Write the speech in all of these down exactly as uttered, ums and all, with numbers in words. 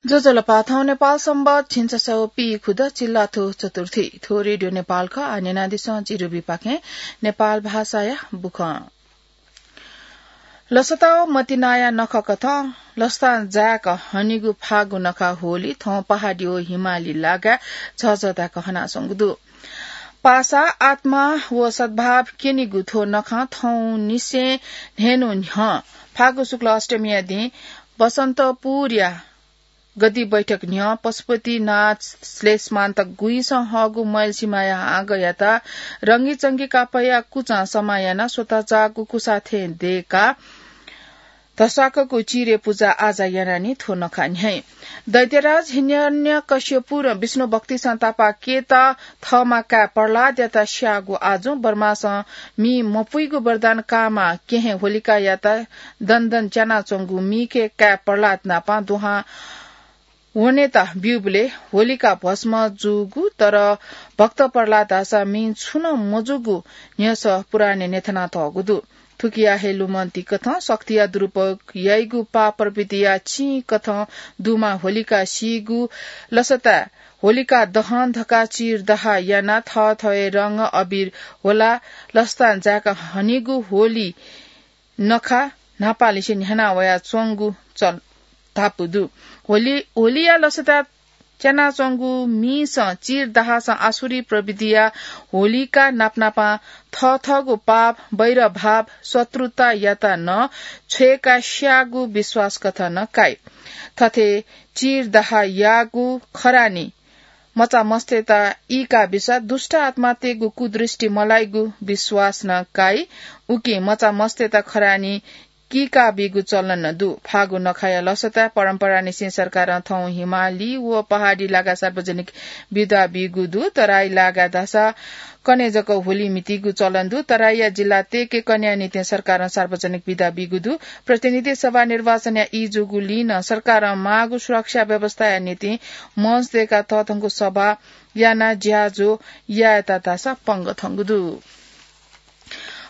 ज्वजलपा, थौं नेपाल संवत् झिंछसः व पीखुदँ चिल्लाथ्व चतुर्थी। थ्व रेडियो नेपाल खः। आः न्यनादिसँ जि रुबीपाखें नेपाल भाषाया बुखँ। लसता व मतिनाया नखःकथं लसतां जाय्‌क हनीगु फागु नखः होली थौं पहाडी व हिमाली लागाय् झःझः धाय्‌क हनाच्वंगु दु। पासा, आत्मा व सद्भाव क्यनीगु थ्व नखः थौंनिसें न्हय्‌न्हु न्ह्यः फागु शुक्ल अष्टमीया दिं बसन्तपुरया गद्दी बैठक न्ह्यः पशुपतिनाथ श्लेष्मान्त गुइसं हःगु मयलसिमाया हाँगःयात रंगीचंगी कापःया कुचं समाः यानाः स्वतःचाःगु कुसा थें दय्‌काः धस्वाकःगु चिरे पुजा आजा यानाः नि थ्व नखः न्ह्याइ। दैत्यराज हिरण्यकश्यपुं विष्णु भक्तिसं तापाकेत थःमा काय् प्रह्लादयात स्याःगु आजुं ब्रह्मासं मि मपुइगु वरदान काःमा केहें होलिकायात दनदन च्यानाच्वंगु मिखे काय् प्रह्लाद नाप दुहां वनेत ब्यूबलय् होलिका भस्म जूगु, तर भक्त प्रह्लाद धाःसा मिं छुं नं मजूगु न्ह्यसः पुराणय् न्ह्यथनातःगु दु। थुकिया हे लुमन्तिकथं शक्तिया दुरुपयोग याइगु पाप प्रवृत्तिया चिंकथं दुमा होलिका सीगु लसताय् होलिका दहन धकाः चिरदाह यानाः थःथवय् रंग अबिर ह्वलाः लसतां जाय्‌क हनीगु होली नखः न्हापांनिसें न्ह्याना वयाच्वंगु चल धापू दु। होली, होलिया लसताय् च्यानाच्वंगु मिसं चिरदाहसं आसुरी प्रवृत्तिया होलिका नापनापं थःथःगु पाप, वैरभाव, शत्रुतायात नं छ्वय्‌काः स्याःगु विश्वास कथं नं काइ। थथे चिरदाह याःगु खरानी मचामस्तय्‌त ईका बिसा दुष्ट आत्मातय्‌गु कुदृष्टि मलाइगु विश्वास नं काइ। उकिं मचामस्तय्‌त खरानी कीका बीगु चलन नं दु। फागु नखःया लसताय् परम्परानिसें सरकारं थौं हिमाली व पहाडी लागाय् सार्वजनिक बिदा बीगु दु। तराई लागाय् धाःसा कन्हय् जक होली म्हितीगु चलन दु। तराईया जिल्लातय्‌के कन्हय्‌या निंतिं सरकारं सार्वजनिक बिदा बीगु दु। प्रतिनिधि सभा निर्वाचनया ई जूगुलिं नं सरकारं माःगु सुरक्षा व्यवस्थाया निंतिं मञ्च दय्‌काः तःधंगु सभा यानाः ज्याझ्वः यायेत धाःसा पंगः थंगु दु।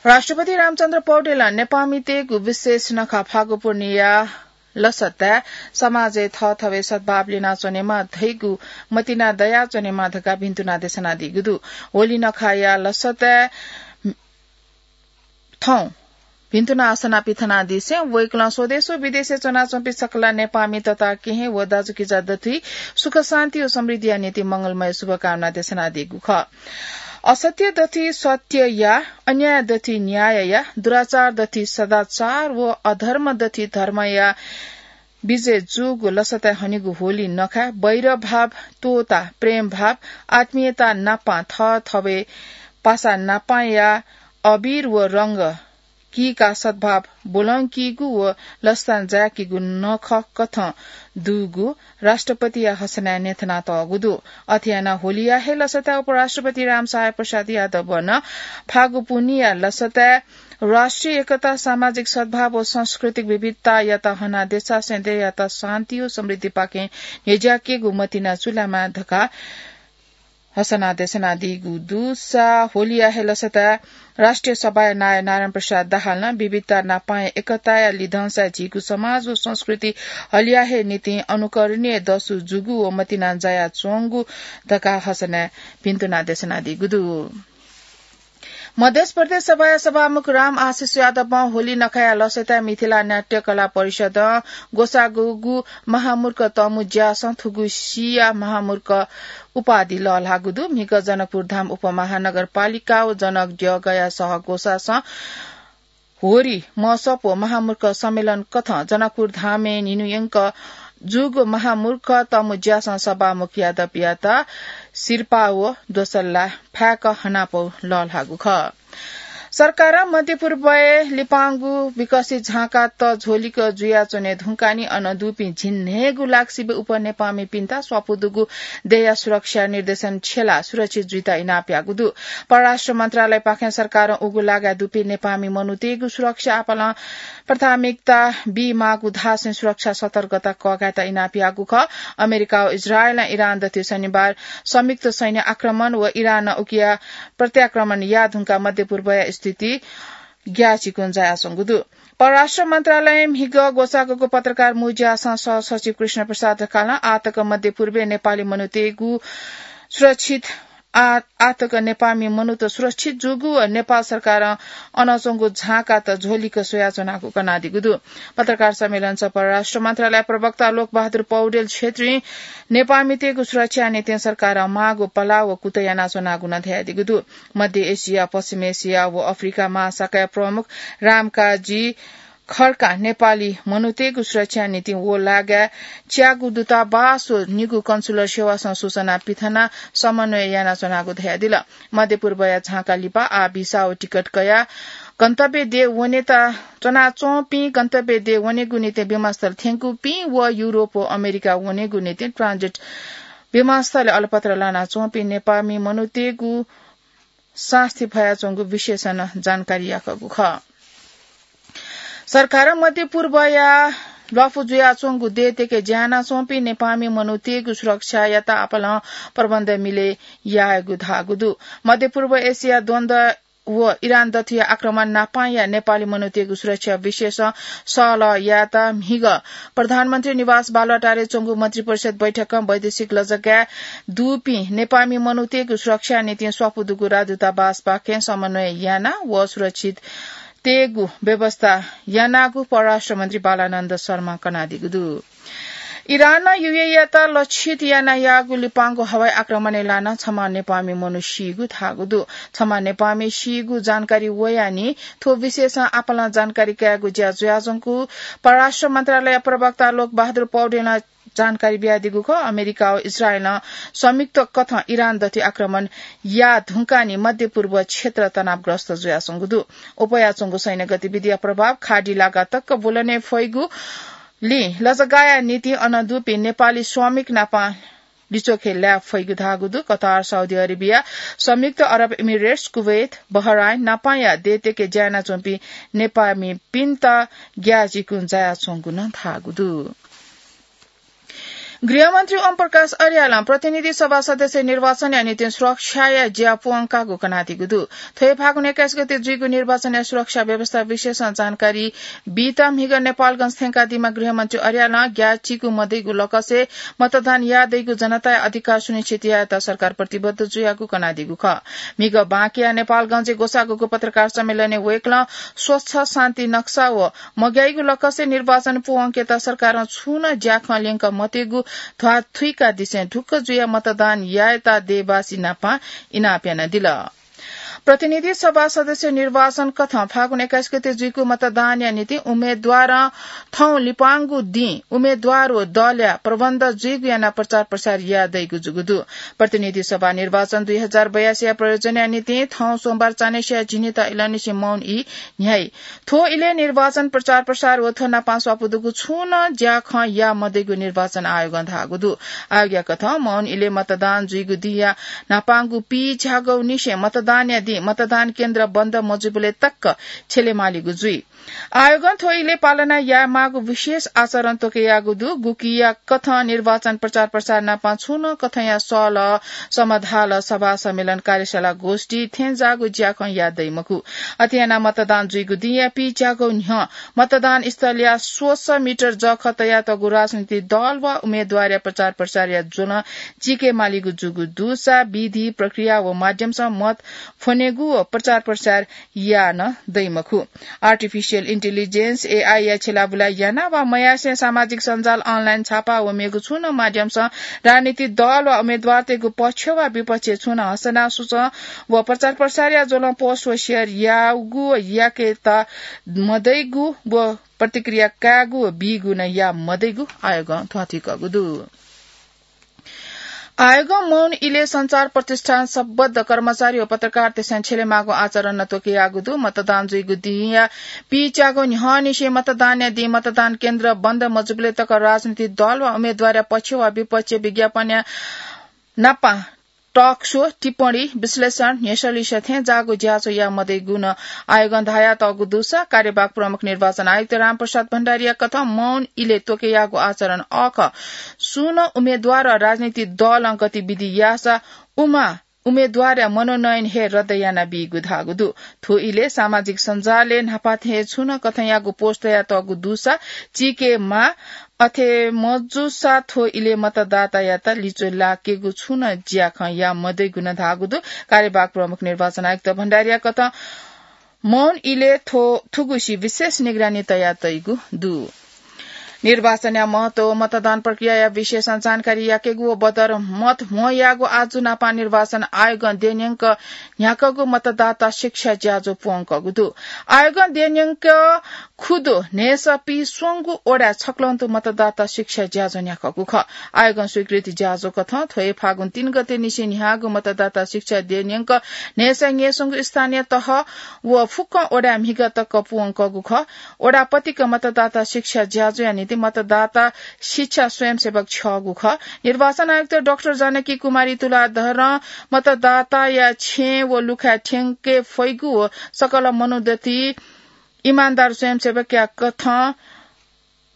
राष्ट्रपति रामचन्द्र पौडेलं नेपाःमितय्‌गु विशेष नखः फागु पूर्णिया लसताय् समाजय् थःथवय् सद्भाव ल्यनाच्वनेमा, धइगु मतिना दयाच्वनेमा धकाः भिन्तुना देछानादीगु दु। होली नखःया लसताय् थौं भिन्तुना असना पिथनादिसें वय्‌कलं स्वदेश व विदेशय् च्वनाच्वंपिं सकल नेपाःमि तता केहेँ व दाजुकिजा दथुइ सुख शान्ति व समृद्धिया निंतिं मंगलमय शुभकामना देछानादीगु खः। असत्य दथुइ सत्य या, अन्याय दथुइ न्याय या, दुराचार दथुइ सदाचार व अधर्म दथुइ धर्म या विजय जूगु लसताय् हनीगु होली नखःय् वैरभाव त्वःताः प्रेमभाव, आत्मीयता नापं थःथवय् पासा नापं या अबिर व रंग कीकाः सद्भाव ब्वलंकीगु व लसतां जाय्‌कीगु नखःकथं दुगु राष्ट्रपतिया हसनाय् न्ह्यथनातःगु दु। अथे यानाः होलिया हे लसताय् उपराष्ट्रपति रामसहाय प्रसाद यादवं नं फागु पूर्णिया लसताय् राष्ट्रिय एकता, सामाजिक सद्भाव व सांस्कृतिक विविधतायात हनाः देशा स्वदेशयात शान्ति व समृद्धिपाखें न्ह्यज्याकेगु मतिना चुलामा धकाः हसना देछानादीगु दुसा होलिया हे लसताय् राष्ट्रिय सभाया नायः नारायण प्रसाद दाहालं विविधता नापं एकताया लिधंसाय् झीगु समाज व संस्कृति हलिया हे निंतिं अनुकरणीय दसु जूगु व मतिना जायाच्वंगु धकाः हसनाय् भिन्तुना देछानादीगु दु। मध्य प्रदेश सभाया सभामुख राम आशिष यादवं होली नखःया लसताय् मिथिला नाट्य कला परिषदं ग्वसाःगु महामूर्ख तमु ज्यासं थुगु सिया महामूर्ख उपाधि लःल्हाःगु दु। म्हिगः जनकपुर धाम उपमहानगरपालिका व जनक द्यःगया सह ग्वसासं होरी महोत्सव व महामूर्ख सम्मेलन कथं जनकपुर धामय् न्हिन्हुयंक जूगु महामूर्ख तमु ज्यासं सभामुख यादवयात सिरपाः व द्वसल्ला फाय्‌क हनापौ लःल्हाःगु खः। सरकारं मध्यपूर्वय् लिपांगु विकसित झांका त झ्वलिक जुयाच्वने धुंकाः नि अन दुपिं झिंन्हय्‌गु लाक सिबें उप नेपाःमिपिन्त स्वापू दुगु देय्‌या सुरक्षा निर्देशन छ्यलाः सुरक्षित जुइत इनाप याःगु दु। परराष्ट्र मन्त्रालयपाखें सरकारं उगु लागाय् दुपिं नेपाःमि मनूतय्‌गु सुरक्षा आपालं प्राथमिकता बीमाःगु धासें सुरक्षा सतर्कता कःघायेत इनाप याःगु खः। अमेरिका व इजरायलं इरान दथुइ शनिबार संयुक्त सैन्य आक्रमण व इरानं उकिया प्रत्याक्रमण याः धुंकाः मध्यपूर्वया स्थिति ग्याःचिकुं जायाच्वंगु दु। परराष्ट्र मन्त्रालय म्हिगः ग्वसाःगु पत्रकार मुज्यासं सहसचिव कृष्ण प्रसाद ढकालं आतक मध्य पूर्वय् नेपाली मनूतय्गु सुरक्षित आ-, आतक नेपाःमि मनूत सुरक्षित जूगु व नेपाल सरकारं अन च्वंगु झाँकात झ्वलिक स्वयाच्वनागु कनादीगु दु। पत्रकार सम्मेलन स परराष्ट्र मन्त्रालय प्रवक्ता लोकबहादुर पौडेल छेत्रीं नेपाःमितय्गु सुरक्षा निंतिं सरकारं माःगु पलाः व कुतः यानाच्वनागु नं धयादीगु दु। मध्य एसिया, पश्चिम एसिया व अफ्रिका महाशाखाया प्रमुख रामकाजी खड्कां नेपाली मनूतय्गु सुरक्षा निंतिं व लागाय् च्यागू दूतावास व निगू कन्सुलर सेवासं सूचना पिथनाः समन्वय यानाच्वनागु धयादिल। मध्य पूर्वया झाँका लिपा आः भिसा व टिकट कयाः गन्तव्य देय् वनेत च्वनाच्वंपिं, गन्तव्य देय् वनेगु निंतिं विमानस्थल थ्यंकूपिं व युरोप व अमेरिका वनेगु निंतिं ट्रान्जिट विमानस्थलय् अलपत्र लानाच्वंपिं नेपाःमि मनूतय्गु सास्ती भयाच्वंगु विषयसं नं जानकारी याकूगु खः। सरकारं मध्य पूर्वया ल्वापु जुयाच्वंगु देय्तय्के ज्या यानाच्वंपिं नेपाःमि मनूतय्गु सुरक्षायात आपालं प्रबन्ध मिले यायेगु धाःगु दु। मध्य पूर्व एसिया द्वन्द्व व इरान दथुया आक्रमण नापांया नेपाली मनूतय्गु सुरक्षा विषयसं सहलह यायेत म्हिगः प्रधानमन्त्री निवास बालुवाटारय् च्वंगु मन्त्रिपरिषद बैठकं वैदेशिक लजगाय् दुपिं नेपाःमि मनूतय्गु सुरक्षा निंतिं स्वापू दुगु राजदूतावासपाखें समन्वय यानाः व सुरक्षित तयेगु व्यवस्था यानागु परराष्ट्र मन्त्री बालानन्द शर्मां कनादीगु दु। इरानं यूएईयात लक्षित यानाः याःगु लिपांगु हवाई आक्रमणय् लानाः छम्ह नेपाःमि मनू सीगु धाःगु दु। छम्ह नेपाःमि सीगु जानकारी वयाः नि थ्व विषयसं आपालं जानकारी कायेगु ज्या जुयाच्वंगु परराष्ट्र मन्त्रालय प्रवक्ता लोकबहादुर पौडेलं जानकारी बियादीगु खः। अमेरिका व इजरायलं संयुक्त कथं इरान दथुइ आक्रमण याः धुंकाः नि मध्य पूर्व क्षेत्र तनावग्रस्त जुयाच्वंगु दु। अप्वयाच्वंगु सैन्य गतिविधिया प्रभाव खाडी लागा तक बुलने फइगु लिं लजगाःया निंतिं अन दुपिं नेपाली श्रमिक नाप लिच्वखे लाये फइगु धाःगु दु। कतार, साउदी अरेबिया, संयुक्त अरब इमिरेट्स, कुवैत, बहराइन नापांया देय्तय्के ज्या यानाच्वंपिं नेपाःमिपिन्त ग्याःचिकुं जायाच्वंगु नं धाःगु दु। गृहमन्त्री ओम प्रकाश अर्यालं प्रतिनिधि सभा सदस्य निर्वाचनया निंतिं सुरक्षाया ज्या प्वंकागु कनादीगु दु। थ्व हे फागुन एक्काइस गते जुइगु निर्वाचनया सुरक्षा व्यवस्था विषयसं जानकारी बीत म्हिगः नेपालगंज थ्यंकादीम्ह गृहमन्त्री अर्यालं ग्याःचिकु मदइगु लकसय् मतदान याः दइगु जनताया अधिकार सुनिश्चित यायेत सरकार प्रतिबद्ध जुयागु कनादीगु खः। म्हिगः बांकया नेपालगंजय् ग्वसाःगु पत्रकार सम्मेलनय् वय्कलं स्वच्छ, शान्ति नक्सा व मग्याइगु लकसय् निर्वाचन प्वंकेत सरकारं छुं नं ज्याखँ ल्यंका मतयेगु ध्वाथुइकादिसें ढुक्क जुयाः मतदान यायेत देय्बासी नाप इनाप यानादिल। प्रतिनिधि सभा सदस्य निर्वाचन कथं फागुन एक्काइस गते जुइगु मतदानया निंतिं उम्मेदवारं थौं लिपांगु दिं उम्मेदवार व दलया प्रबन्ध जुइगु यानाः प्रचार प्रसार याः दइगु जूगु दु। प्रतिनिधि सभा निर्वाचन दुई हजार बयासीया प्रयोजनया निंतिं थौं सोमबार चान्हय्सिया झिंनिदँ इलंनिसें मौन ई न्ह्याइ। थ्व इलय् निर्वाचन प्रचार प्रसार व थ्व नाप स्वापू दुगु छुं नं ज्याखँ याः मदइगु निर्वाचन आयोगं धाःगु दु। आयोगया कथं मौन इलय् मतदान जुइगु दिंया न्हापांगु पीच्यागःनिसें मतदानया दिं मतदान केन्द्र बन्द मजुइबलय् तक छ्यलेमालीगु जुइ। आयोगं थ्व इलय् पालना यायेमाःगु विशेष आचरण त्वकयाःगु दु। गुकिया कथं निर्वाचन प्रचार प्रसार नाप छुं नं कथंया सहलह, समाधाल, सभा, सम्मेलन, कार्यशाला, गोष्ठी थेंजाःगु ज्याखँ याः दइ मखु। अथे यानाः मतदान जुइगु दिंया पीच्यागः न्ह्यः मतदान स्थलया स्वसः मिटर जःखः तयातःगु राजनीतिक दल वा उम्मेदवारया प्रचार प्रसारया ज्वलं चीकेमालीगु जूगु दुसा विधि, प्रक्रिया व माध्यमसं मत फ्वनेगु व प्रचार प्रसार याः नं दइ मखु। Artificial intelligence, एआई या छ्यलाबुला यानाः वा मयासें सामाजिक सञ्जाल, online छापा व मेगु छुं नं माध्यमसं राजनीतिक दल वा उम्मेदवारतय्गु पक्ष वा विपक्ष छुं नं हसना सुचं व प्रचार प्रसारया ज्वलं post व share याःगु व याकेत मदइगु व प्रतिक्रिया कायेगु व बीगु नं याः मदइगु आयोगं ध्वाथुइकूगु दु। आयोगं मौन इलय् सञ्चार प्रतिष्ठान सम्बद्ध कर्मचारी व पत्रकारतय्सं छ्यलेमाःगु आचरण नं त्वकयाःगु दु। मतदान जुइगु दिंया पीच्यागः न्ह्यःनिसें मतदानया दिं मतदान केन्द्र बन्द मजुबलय् तक राजनीतिक दल वा उम्मेदवारया पक्ष वा विपक्ष विज्ञापनया नाप talk show, टिप्पणी, विश्लेषण, न्ह्यसः लिसः थेंजाःगु ज्याझ्वः याः मदइगु नं आयोगं धयातःगु दुसा कार्यवाहक प्रमुख निर्वाचन आयुक्त रामप्रसाद भण्डारीया कथं मौन इलय् त्वकयाःगु आचरण अःखः। सुं नं उम्मेदवार वा राजनीतिक दलं गतिविधि याःसा उमा उम्मेद्वारया मनोनयन हे रद्द यानाबीगु धाःगु दु। थ्व इलय् सामाजिक सञ्जालय् न्हापाथें छुं नं कथंयागु पोस्ट तयातःगु दुसा चीके माः, अथे मजूसा थ्व इलय् मतदातायात लिच्वः लाकेगु छुं नं ज्याखँ याः मदइगु नं धाःगु दु। कार्यवाहक प्रमुख निर्वाचन आयुक्त भण्डारीया कथं मौन इलय् थ्व, थुगुसी विशेष निगरानी तयातइगु दु। निर्वाचनया महत्व व मतदान प्रक्रियाया विषयसं जानकारी याकेगु व बदर मत म्वःयागु आजु नापं निर्वाचन आयोगं देय्‌न्यंक न्ह्याकःगु मतदाता शिक्षा ज्याझ्वः प्वंकःगु दु। आयोगं देय्‌न्यंक खुदु न्हय्‌सः पीस्वंगू वडाय् छक्वःगु मतदाता शिक्षा ज्याझ्वः न्ह्याकःगु खः। आयोगं स्वीकृति ज्याझ्वः कथं थ्व हे फागुन तीन गते निसें न्ह्याःगु मतदाता शिक्षा देय्‌न्यंक न्हय्‌सः न्हय्‌स्वंगू स्थानीय तह व फुक्कं वडाय् म्हिगः तक प्वंकःगु खः। वडा पतिक मतदाता शिक्षा ज्याझ्वःया निंतिं मतदाता शिक्षा स्वयंसेवक छ्यःगु खः। निर्वाचन आयुक्त डाक्टर जानकी कुमारी तुलाधरं मतदाताया छेँ व लुखाय् थ्यंके फइगु व सकल मनोदति इमानदार स्वयंसेवकया कथं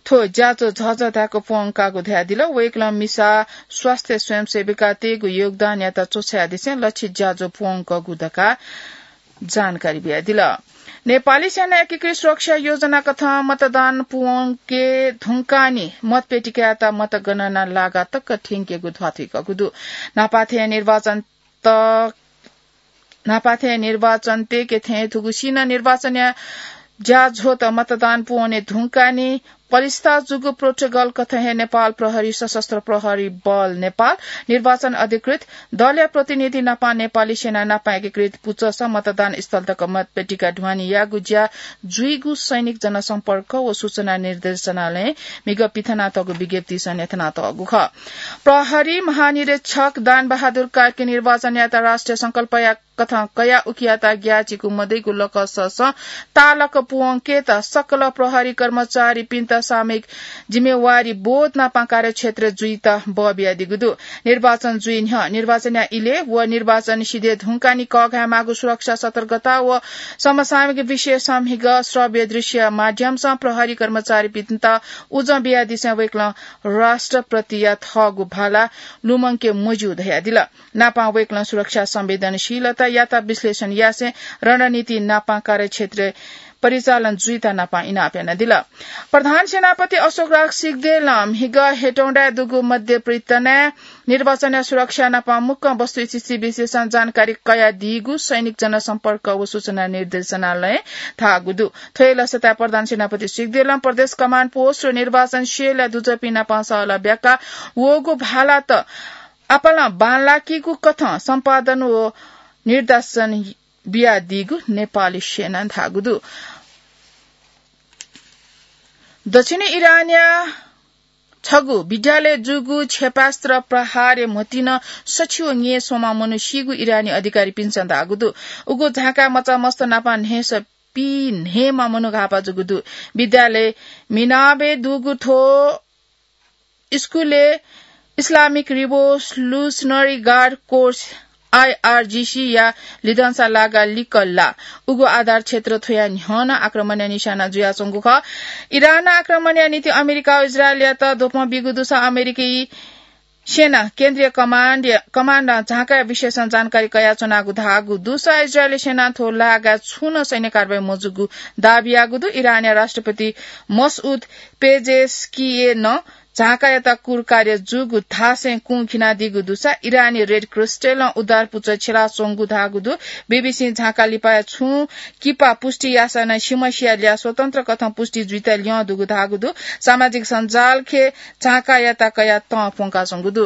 थ्व ज्याझ्वः झःझः धायेक प्वंकागु धयादिल। वय्‌कलं मिसा स्वास्थ्य स्वयंसेविकातय्‌गु योगदानयात च्वछायेदिसें लक्षित ज्याझ्वः प्वंकःगु धकाः जानकारी बियादिल। नेपाली सेना एकीकृत सुरक्षा योजना कथं मतदान प्वंके धुंकाःनि मतपेटिकायात मतगणना लागा तक थ्यंकेगु ध्वाथुइकःगु दु। न्हापाथें निर्वाचन त न्हापाथें निर्वाचन तय्‌के थें थुगुसी नं निर्वाचनया ज्याझ्वःत मतदान प्वने धुंकाःनि पलिस्था जूगु प्रोटोकल कथं हे नेपाल प्रहरी, सशस्त्र प्रहरी बल नेपाल, निर्वाचन अधिकृत, दलया प्रतिनिधि नापं नेपाली सेना नापं एकीकृत पुचःसं मतदान स्थल तक मतपेटिका ढुवानी याःगु ज्या जुइगु सैनिक जनसम्पर्क व सूचना निर्देशनालयं म्हिगः पिथनातःगु विज्ञप्तिसं न्ह्यथनातःगु खः। प्रहरी महानिरीक्षक दान बहादुर कार्की निर्वाचनयात राष्ट्रिय संकल्पया कथं कयाः उकियात ग्याःचिकु मदइगु लकससं ताःलक प्वंकेत सकल प्रहरी कर्मचारीपिन्त सामूहिक जिम्मेवारी बोध नापं कार्यक्षेत्र जुइत बः बियादीगु दु। निर्वाचन जुइ न्ह्यः, निर्वाचनया इलय् व निर्वाचन सिधये धुंकाःनि कःघायेमाःगु सुरक्षा सतर्कता व समसामयिक विषयसं म्हिगः श्रव्य दृश्य माध्यमसं प्रहरी कर्मचारीपिन्त उजं बियादिसें वय्‌कलं राष्ट्रप्रतिया थःगु भाला लुमंके मज्यू धयादिल। नापं वय्‌कलं सुरक्षा संवेदनशीलतायात विश्लेषण यासें रणनीति नापं कार्यक्षेत्र परिचालन जुइत नापं इनाप यानादिल। प्रधान सेनापति अशोकराज सिग्देलं म्हिगः हेटौंडाय् दुगु मध्य प्रितनाय् निर्वाचनया सुरक्षा नापं मुक्कं वस्तुस्थिति विषयसं जानकारी कयादीगु सैनिक जनसम्पर्क व सूचना निर्देशनालयं धाःगु दु। थ्व हे लसताय् प्रधान सेनापति सिग्देलं प्रदेश कमान्ड पोस्ट व निर्वाचन सेलया दुजःपिं नापं सहलह ब्याका वःगु भालात आपालं बांलाकीगु कथं सम्पादन व निर्देशन बियादीगु नेपाली सेनां धाःगु दु। दक्षिणी इरानया छगू विद्यालयय् जूगु क्षेपास्त्र प्रहारय् म्हतिं सछि व न्यय्‌स्वंम्ह मनू सीगु इरानी अधिकारीपिन्सं धाःगु दु। उगु झांकाय् मचा मस्त नापं न्हय्‌सः पी न्हय्‌म्ह मनू घाःपा जूगु दु। विद्यालय मिनाबय् दुगु थ्व स्कूलय् Islamic Revolutionary Guard Corps, आइआरजीसी या लिधंसा लागा लिक्क लाः। उगु आधार क्षेत्र थ्वया न्ह्यः नं आक्रमणया निशाना जुयाच्वंगु खः। इरानं आक्रमणया निंतिं अमेरिका व इजरायलयात द्वपं बीगु दुसा अमेरिकी सेना केन्द्रीय कमान्ड, कमान्डं झांकाया विषयसं जानकारी कयाच्वनागु धाःगु दुसा इजरायली सेनां थ्व लागाय् छुं नं सैन्य कारवाही मजूगु दाबी याःगु दु। इरानया राष्ट्रपति मसउद पेजेस्कियनं झांकायात कुरकार्य जूगु धासें कुं खिनादीगु दुसा इरानी रेड क्रिस्टलं उद्धार पुचः छ्यलाच्वंगु धाःगु दु। बीबीसीं झांका लिपाया छुं किपा पुष्टि याःसा नं सिमसिया ल्याः स्वतन्त्र कथं पुष्टि जुइत ल्यं दुगु धाःगु दु। सामाजिक सञ्जालखे झांकायात कयाः तं प्वंकाच्वंगु दु।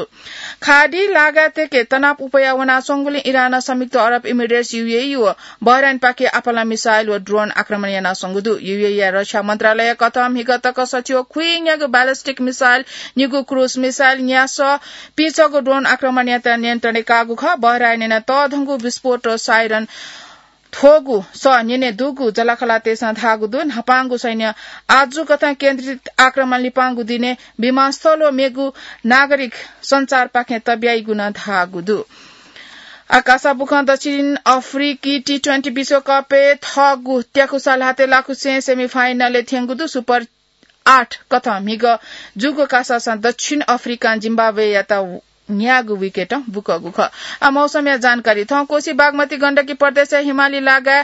खाडी लागाय् तय्‌के तनाव उप्वया वनाच्वंगुलिं इरानं संयुक्त अरब इमिरेट्स, यूएई व बहराइनपाखे आपालं मिसाइल व ड्रोन आक्रमण यानाच्वंगु दु। यूएईया रक्षा मन्त्रालयया कथं म्हिगः तक सछि व खुइन्यागू ब्यालिस्टिक मिसाइल, निगू क्रुज मिसाइल, न्यासः पिचःगु ड्रोन आक्रमण यानाः नियन्त्रणय् काःगु खः। बहराइनं तःधंगु विस्फोट साइरन थ्वःगु सः न्यने दुगु जःलाखःलातय्‌सं धाःगु दु। न्हापांगु सैन्य आजु कथं केन्द्रित आक्रमण लिपांगु दिनय् विमानस्थल व मेगु नागरिक सञ्चारपाखें तब्याइगु नं धाःगु दु। आकाश बुखं दक्षिण अफ्रिकी टी ट्वेन्टी विश्वकपय् थःगु त्याकुसा ल्हातय् लाखुसें सेमिफाइनलय् थ्यंगु दु। सुपर आठ कथं म्हिगः जूगु कासासं दक्षिण अफ्रिकां जिम्बाब्वेयात न्यागू विकेट बुकगु खः। आ, मौसमया जानकारी। थौं कोशी बागमती गण्डकी प्रदेशया हिमाली लागाय्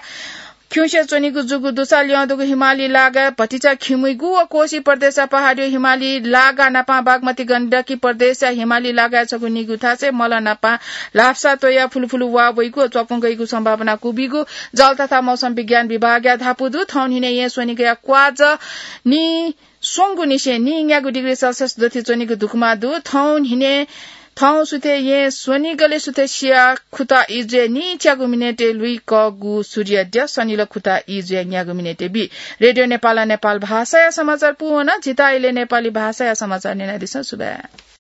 खिउँसे च्वनीगु जूगु दुसा ल्यं दुगु हिमाली लागाय् भतिचा खिमुइगु व कोशी प्रदेशया पहाडी हिमाली लागा नापां बागमती गण्डकी प्रदेशया हिमाली लागाय् छगू निगू थासय् मल नापां ल्हापसा त्वया फुलुफुलु वा वइगु व च्वापुं गइगु सम्भावना कुबिगु जल तथा मौसम विज्ञान विभागया धापू दु। थौं न्हिने येँ स्वनिगया क्वाज नि स्वंगु निसें नीन्यागू डिग्री सेल्सियस दथि च्वनीगु धुकुमा दु। थौं न्हिने थौं सुथे येँ स्वनिगले सुथे सिया खुता इजुया नीच्यागु मिनेटे लुइकगु सूर्य द्य सनिल खुता इजुया न्यागु मिनेटे बी। रेडियो नेपाल, नेपाल भाषाया समाचार पूवना। जिता इले नेपाली भाषाया समाचार न्यनादिसँ। सुभाय्।